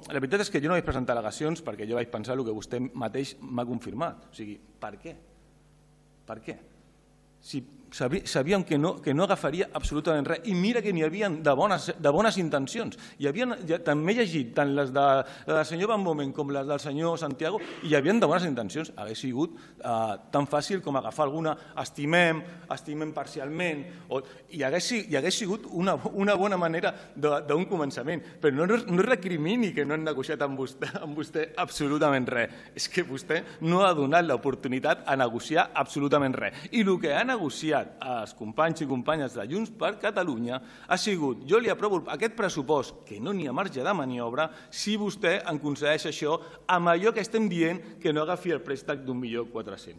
La veritat és que jo no vaig presentar al·legacions perquè jo vaig pensar el que vostè mateix m'ha confirmat. O sigui, per què? Per què? Si sabíem que no agafaria absolutament res. I mira que n'hi havia de bones intencions. També he llegit tant les del senyor Van Bomen com les del senyor Santiago i hi havia de bones intencions. Hauria sigut tan fàcil com agafar alguna, estimem parcialment, i hauria sigut una bona manera d'un començament. Però no recrimini que no han negociat amb vostè absolutament res. És que vostè no ha donat l'oportunitat a negociar absolutament res. I el que ha negociat als companys i companyes de Junts per Catalunya ha sigut: jo li aprovo aquest pressupost, que no n'hi ha marge de maniobra, si vostè em concedeix això amb allò que estem dient, que no agafi el préstec d'1.400.000.